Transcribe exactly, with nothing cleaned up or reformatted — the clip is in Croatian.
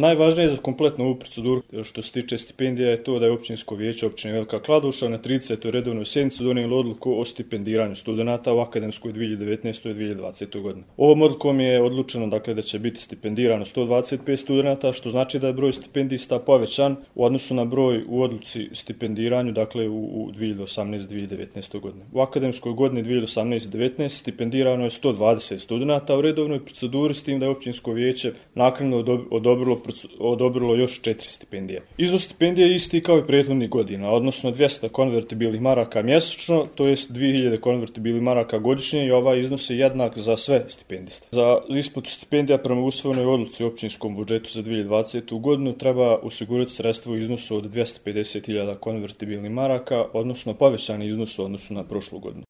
Najvažnije za kompletnu ovu proceduru što se tiče stipendija je to da je Općinsko vijeće općine Velika Kladuša na tridesetoj redovnoj sjednici donijelo odluku o stipendiranju studenata u akademskoj dvije hiljade devetnaestoj dvije hiljade dvadesetoj godini. Ovom odlukom je odlučeno dakle, da će biti stipendirano sto dvadeset pet studenata, što znači da je broj stipendista povećan u odnosu na broj u odluci stipendiranju dakle, u, u dvije hiljade osamnaeste dvije hiljade devetnaestoj godini. U akademskoj godini dvije hiljade osamnaeste devetnaeste stipendirano je sto dvadeset studenata u redovnoj proceduri, s tim da je Općinsko vijeće naknadno odobrilo, odobrilo još četiri stipendije. Iznos stipendije je isti kao i prethodnih godina, odnosno dvjesto konvertibilnih maraka mjesečno, to jest dvije hiljade konvertibilnih maraka godišnje, i ovaj iznos je jednak za sve stipendiste. Za isplatu stipendija prema usvojenoj odluci u općinskom budžetu za dvije hiljade dvadesetu godinu treba osigurati sredstvo u iznosu od dvjesto pedeset hiljada konvertibilnih maraka, odnosno povećani iznos u odnosu na prošlu godinu.